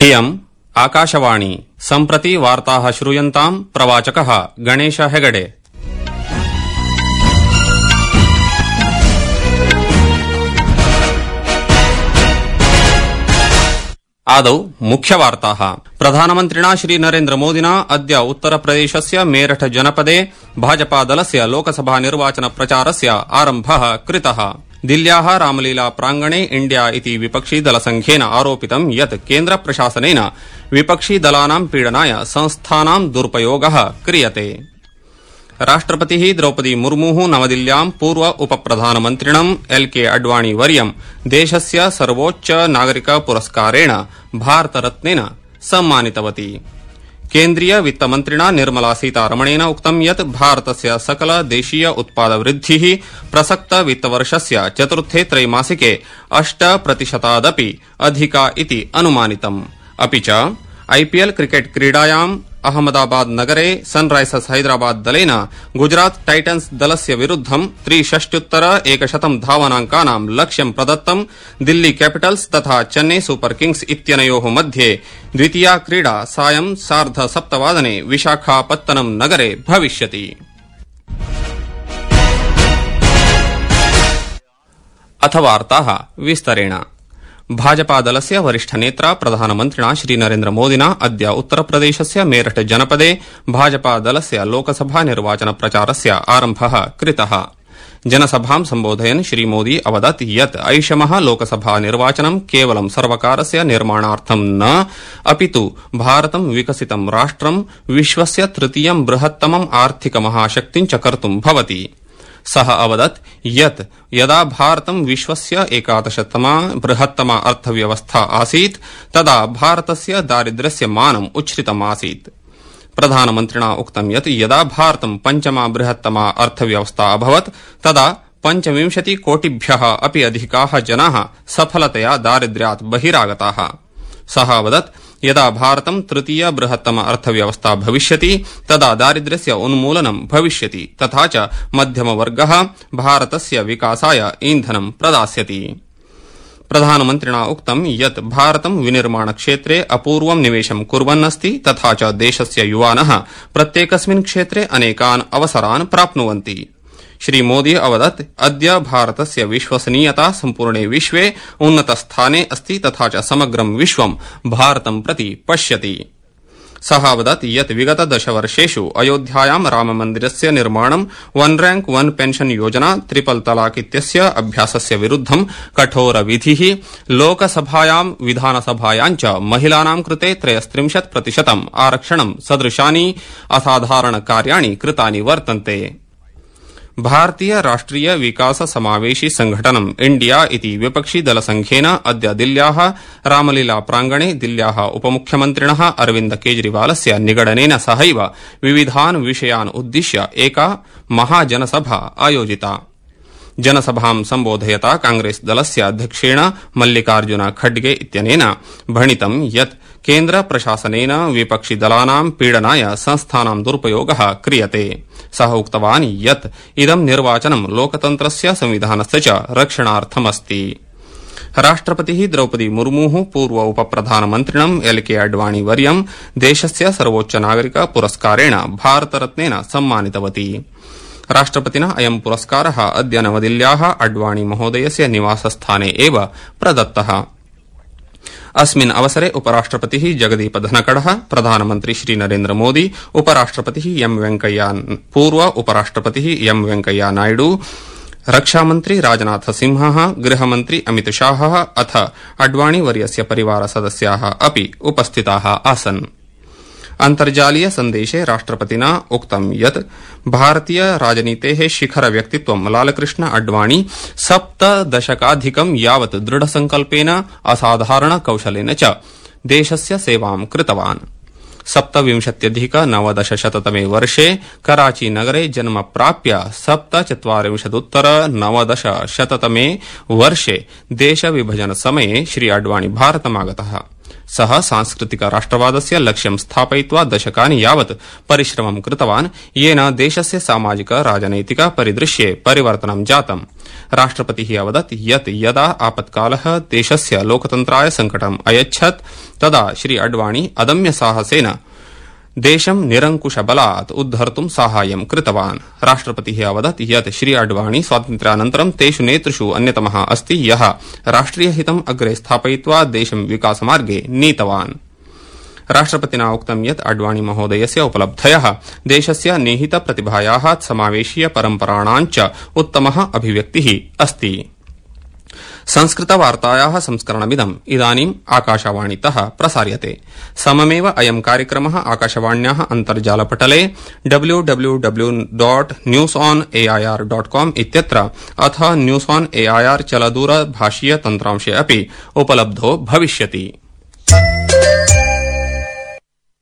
इयम् आकाशवाणी सम्प्रति वार्ताः श्रूयन्ताम् प्रवाचकः गणेश हेगडे। आदौ मुख्यवार्ताः। प्रधानमन्त्रिणा श्री नरेन्द्र मोदिना अद्य उत्तरप्रदेशस्य मेरठ जनपदे भाजपादलस्य लोकसभा निर्वाचन प्रचारस्य आरम्भः कृतः। दिल्ल्याः रामलीला प्रांगणे इंडिया इति विपक्षी दलसंघेन आरोपितं यत् केन्द्रप्रशासनेन विपक्षी दलानां पीडनाय संस्थानां दुरुपयोगः क्रियते। राष्ट्रपतिः द्रौपदी मुर्मुः नवदिल्ल्यां पूर्व उपप्रधानमन्त्रिणं एल्के अडवाणी वर्यं देशस्य सर्वोच्च नागरिक पुरस्कारेण भारतरत्नेन सम्मानितवती। केन्द्रीय वित्तमन्त्रिणा निर्मला सीतारमणेन उक्तं यत् भारतस्य सकल देशीय उत्पादवृद्धिः प्रसक्त वित्तवर्षस्य चतुर्थे त्रैमासिके 8% अधिका इति अनुमानितम्। अपि च आईपीएल क्रिकेट क्रीडायाम् अहमदाबाद नगरे सनराइजर्स हैदराबाद दलेन गुजरात टाइटन्स दलस्य विरुद्धं 63-100 धावनांकानां लक्ष्यं प्रदत्तं। दिल्ली कैपिटल्स तथा चेन्नई सुपर किंग्स इत्यनयोः मध्ये द्वितीया क्रीडा सायं 7:30 विशाखापत्तनम नगरे भविष्यति। अथ वार्ताः विस्तरेण। भाजपादलस्य वरिष्ठनेत्रा प्रधानमन्त्रिणा श्री नरेन्द्र मोदिना अद्य उत्तरप्रदेशस्य मेरठ जनपदे भाजपादलस्य लोकसभा निर्वाचन प्रचारस्य आरम्भः कृतः। जनसभां सम्बोधयन् श्री मोदी अवदत् यत् ऐषमः लोकसभा निर्वाचनं केवलं सर्वकारस्य निर्माणार्थं न अपितु भारतं विकसितं राष्ट्रं विश्वस्य तृतीयं बृहत्तमम् आर्थिकमहाशक्तिं च कर्तुं भवति। सः अवदत् यत् यदा भारतं विश्वस्य 11तमा बृहत्तमा अर्थव्यवस्था आसीत् तदा भारतस्य दारिद्र्यस्य मानम् उच्छ्रितम् आसीत्। प्रधानमन्त्रिणा उक्तं यत् यदा भारतं पञ्चमा बृहत्तमा अर्थव्यवस्था अभवत् तदा 25 कोटिभ्यः अपि अधिकाः जनाः सफलतया दारिद्र्यात् बहिरागताः। सः अवदत् यदा भारतं तृतीय बृहत्तम अर्थव्यवस्था भविष्यति तदा दारिद्र्यस्य उन्मूलनं भविष्यति तथा च मध्यमवर्गः भारतस्य विकासाय ईन्धनं प्रदास्यति। प्रधानमन्त्रिणा उक्तं यत् भारतं विनिर्माणक्षेत्रे अपूर्वं निवेशं कुर्वन्नस्ति तथा च देशस्य युवानः प्रत्येकस्मिन् क्षेत्रे अनेकान् अवसरान् प्राप्नुवन्ति। श्री मोदी अवदत् अद्य भारतस्य विश्वसनीयता सम्पूर्णे विश्वे उन्नतस्थाने अस्ति तथा च समग्रं विश्वं भारतं प्रति पश्यति। सः अवदत् यत् विगत 10 वर्षेषु अयोध्यायां राममन्दिरस्य निर्माणं, वन रैंक वन पेंशन योजना, ट्रिपल तलाक इत्यस्य अभ्यासस्य विरुद्धं कठोरविधिः, लोकसभायां विधानसभायां च महिलानां कृते 33% आरक्षणं सदृशानि असाधारणकार्याणि कृतानि वर्तन्ते। भारतीय राष्ट्रिय विकास समावेशी संघटनम् इंडिया इति विपक्षी दलसंघेन अद्य दिल्ल्याः रामलीला प्रांगणे दिल्ल्याः उपमुख्यमन्त्रिणः अरविन्द केजरीवालस्य निगडनेन सहैव विविधान् विषयान् उद्दिश्य एका महाजनसभा आयोजिता। जनसभां सम्बोधयता कांग्रेस दलस्य अध्यक्षेण मल्लिकार्जुन खड्गे इत्यनेन भणितं यत् केन्द्र प्रशासनेन विपक्षी दलानां पीडनाय संस्थानां दुरुपयोगः क्रियते। सः उक्तवान् यत् इदं निर्वाचनं लोकतन्त्रस्य संविधानस्य च रक्षणार्थमस्ति। राष्ट्रपतिः द्रौपदी मुर्मुः पूर्व उपप्रधानमन्त्रिणं एल्के अडवाणी वर्यं देशस्य सर्वोच्च नागरिक पुरस्कारेण भारतरत्नेन सम्मानितवती। राष्ट्रपतिना अयं पुरस्कारः अद्य नवदिल्ल्याः अडवाणी महोदयस्य निवासस्थाने एव प्रदत्तः। अस्मिन् अवसरे उपराष्ट्रपतिः जगदीप धनखडः, प्रधानमन्त्री श्री नरेन्द्र मोदी, पूर्व उपराष्ट्रपतिः एम वेंकैया नायडू, रक्षामन्त्री राजनाथ सिंहः, गृहमन्त्री अमित शाहः अथ अडवाणी वर्यस्य परिवारसदस्याः अपि उपस्थिताः आसन्। अन्तर्जालीय सन्देशे राष्ट्रपतिना उक्तं यत् भारतीय राजनीतेः शिखर व्यक्तित्वं लालकृष्ण अडवाणी 7 दशकाधिकं यावत् दृढसंकल्पेन असाधारण कौशलेन च देशस्य सेवां कृतवान्। 27-19-तमे वर्षे कराची नगरे जन्म प्राप्य 47-19-तमे वर्षे देशविभजन समये श्री अडवाणी भारतमागतः। सः सांस्कृतिक राष्ट्रवादस्य लक्ष्यं स्थापयित्वा दशकानि यावत् परिश्रमं कृतवान्, येन देशस्य सामाजिक राजनैतिक परिदृश्ये परिवर्तनं जातम्। राष्ट्रपतिः अवदत् यत् यदा आपत्कालः देशस्य लोकतन्त्राय संकटम् अयच्छत् तदा श्री अडवाणी अदम्य साहसेन देशं निरंकुशबलात् उद्धर्तुं साहाय्यं कृतवान्। राष्ट्रपतिः अवदत् यत् श्री अडवाणी स्वातन्त्र्यानन्तरं तेषु नेतृषु अन्यतमः अस्ति यः राष्ट्रियहितम् अग्रे स्थापयित्वा देशं विकासमार्गे नीतवान्। राष्ट्रपतिना उक्तं यत् अडवाणी महोदयस्य उपलब्धयः देशस्य निहित प्रतिभायाः समावेशीय परम्पराणां च उत्तमः अभिव्यक्तिः अस्ति। संस्कृतवार्तायाः संस्करणमिदम् इदानीम् आकाशवाणीतः प्रसार्यते। सममेव अयं कार्यक्रमः आकाशवाण्याः अन्तर्जालपटले www.newsonair.com इत्यत्र अथ न्यूस् ऑन एआईआर चलदूरभाषीय तन्त्रांशे अपि उपलब्धो भविष्यति।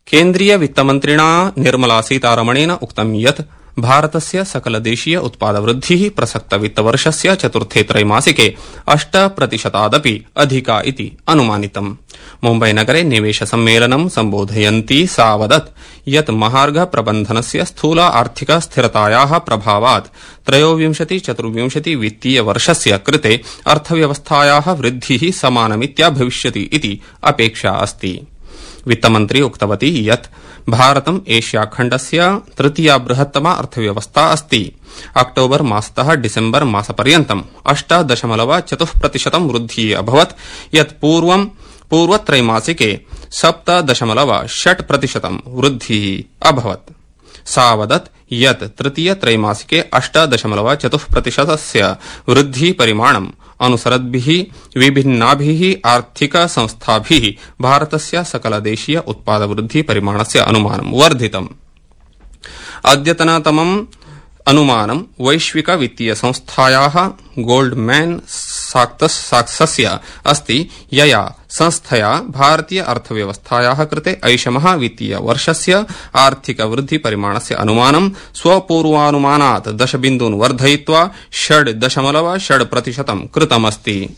केन्द्रीय वित्तमन्त्रिणा निर्मला सीतारमणेन उक्तं यत् भारतस्य सकलदेशीय उत्पादवृद्धिः प्रसक्त वित्तवर्षस्य चतुर्थे त्रैमासिके 8% अधिका इति अनुमानितम्। मुम्बईनगरे निवेशसम्मेलनं सम्बोधयन्ती सा वदत् यत् महार्घ प्रबन्धनस्य स्थूल आर्थिक स्थिरतायाः प्रभावात् 23-24 वित्तीय वर्षस्य कृते अर्थव्यवस्थायाः वृद्धिः समानमित्या भविष्यति इति अपेक्षा अस्ति। वित्तमन्त्री उक्तवती यत् भारतम् एशिया खण्डस्य तृतीया बृहत्तमा अर्थव्यवस्था अस्ति। अक्टोबर मासतः डिसेम्बर मासपर्यन्तम् 8.4% वृद्धिः अभवत्, यत् पूर्वत्रैमासिके 7.6% वृद्धिः अभवत्। सा वदत् यत् तृतीय त्रैमासिके 8.4% वृद्धिपरिमाणम् अनुसरद्भिः विभिन्नाभिः आर्थिक संस्थाभिः भारतस्य सकलदेशीय उत्पादवृद्धि परिमाणस्य अनुमानं वर्धितम्। अद्यतनतमम् अनुमानं वैश्विक वित्तीय संस्थायाः गोल्डमैन साक्सस्य अस्ति, यया संस्थया भारतीय अर्थव्यवस्थायाः कृते ऐषमः वित्तीय वर्षस्य आर्थिक वृद्धि परिमाणस्य अनुमानं स्वपूर्वानुमानात् 10 बिन्दून् वर्धयित्वा 6.6% कृतमस्ति।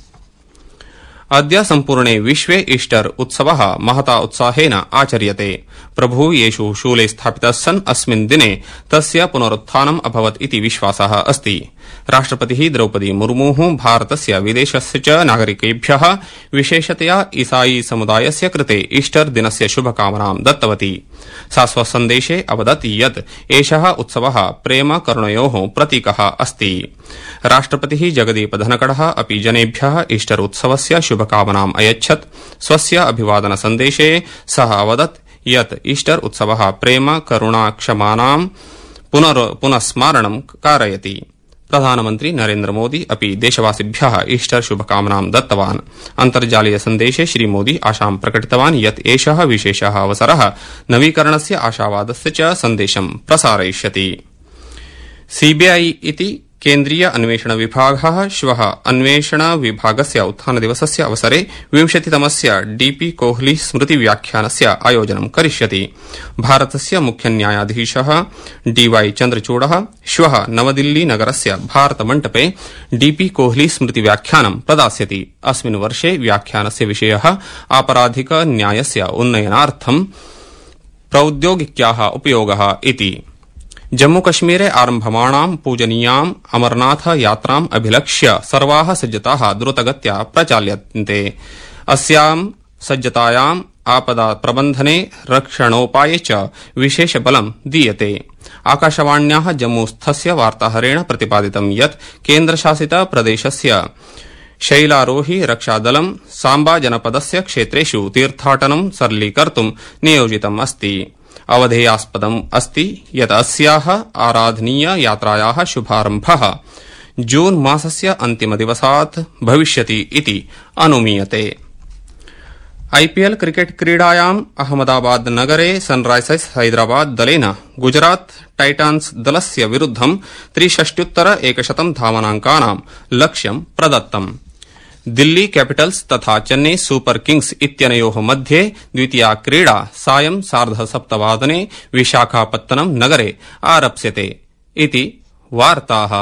अद्य सम्पूर्णे विश्वे ईस्टर उत्सवः महता उत्साहेन आचर्यते। प्रभुः येशु शूले स्थापितः सन् अस्मिन् दिने तस्य पुनरुत्थानम् अभवत् इति विश्वासः अस्ति। राष्ट्रपतिः द्रौपदी मुर्मुः भारतस्य विदेशस्य च नागरिकेभ्यः विशेषतया ईसाई समुदायस्य कृते ईस्टर दिनस्य शुभकामनां दत्तवती। सा स्वसन्देशे अवदत् यत् एषः उत्सवः प्रेम करुणयोः प्रतीकः अस्ति। राष्ट्रपतिः जगदीप धनखडः अपि जनेभ्यः ईस्टर उत्सवस्य शुभकामनाम् अयच्छत्। स्वस्य अभिवादन सन्देशे सः अवदत् यत् ईस्टर उत्सवः प्रेम करुणा क्षमानां पुनस्मारणं कारयति। प्रधानमन्त्री नरेन्द्र मोदी अपि देशवासिभ्यः ईस्टर शुभकामनां दत्तवान्। अन्तर्जालीय सन्देशे श्रीमोदी आशां प्रकटितवान् यत् एषः विशेषः अवसरः नवीकरणस्य आशावादस्य च सन्देशं प्रसारयिष्यति। सीबीआई इति केन्द्रीय अन्वेषण विभागः श्वः अन्वेषण विभागस्य उत्थानदिवसस्य अवसरे 20तमस्य डीपी कोहली स्मृतिव्याख्यानस्य आयोजनं करिष्यति। भारतस्य मुख्यन्यायाधीशः डीवाई चन्द्रचूडः श्वः नवदिल्ली नगरस्य भारतमण्डपे डीपी कोहली स्मृतिव्याख्यानं प्रदास्यति। अस्मिन् वर्षे व्याख्यानस्य विषयः आपराधिक न्यायस्य उन्नयनार्थं प्रौद्योगिक्याः उपयोगः इति। जम्मूकश्मीरे आरम्भमाणां पूजनीयाम् अमरनाथ यात्राम् अभिलक्ष्य सर्वाः सज्जताः द्रुतगत्या प्रचाल्यन्ते। अस्यां सज्जतायाम् आपदा प्रबन्धने रक्षणोपाये च विशेष बलं दीयते। आकाशवाण्याः जम्मूस्थस्य वार्ताहरेण प्रतिपादितं यत् केन्द्रशासित प्रदेशस्य शैलारोहि रक्षादलं सांबा जनपदस्य क्षेत्रेषु तीर्थाटनं सरलीकर्तुं नियोजितम् अस्ति। अवधेयास्पदम् अस्ति यत् अस्याः आराधनीय यात्रायाः शुभारम्भः जून मासस्य अन्तिमदिवसात् भविष्यति इति अनुमीयते। आईपीएल क्रिकेट क्रीडायाम् अहमदाबाद नगरे सनराइजर्स हैदराबाद दलेन गुजरात टाइटन्स दलस्य विरुद्धं 63-100 धावनाङ्कानां लक्ष्यं प्रदत्तम्। दिल्ली कैपिटल्स तथा चेन्नई सुपर किंग्स इत्यनयोः मध्ये द्वितीया क्रीडा सायं 7:30 विशाखापत्तनम नगरे आरप्स्यते इति वार्ताः।